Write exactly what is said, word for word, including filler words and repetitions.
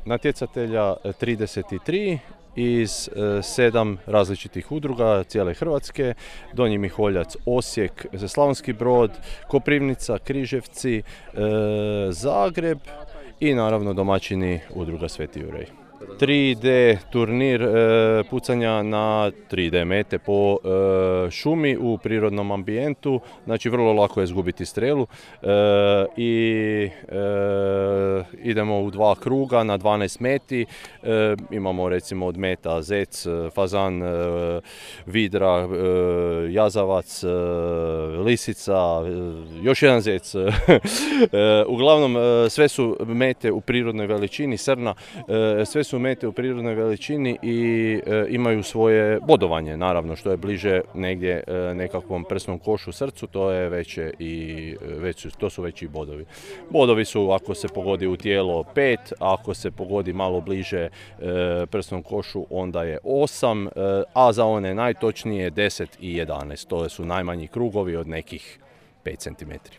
natjecatelja trideset tri iz sedam različitih udruga cijele Hrvatske, Donji Miholjac, Osijek, Slavonski Brod, Koprivnica, Križevci, Zagreb i naravno domaćini udruga Sveti Juraj. tri D turnir e, pucanja na tri D mete po e, šumi u prirodnom ambijentu, znači vrlo lako je izgubiti strelu e, i e, idemo u dva kruga na dvanaest meti, e, imamo recimo od meta zec, fazan, e, vidra, e, jazavac, e, lisica, e, još jedan zec, e, uglavnom e, sve su mete u prirodnoj veličini, srna, e, sve su mete u prirodnoj veličini i e, imaju svoje bodovanje, naravno, što je bliže negdje e, nekakvom prsnom košu srcu, to je veće i već, to su veći bodovi. Bodovi su ako se pogodi u tijelo pet, ako se pogodi malo bliže e, prsnom košu onda je osam, e, a za one najtočnije deset i jedanaest, to su najmanji krugovi od nekih pet centimetara.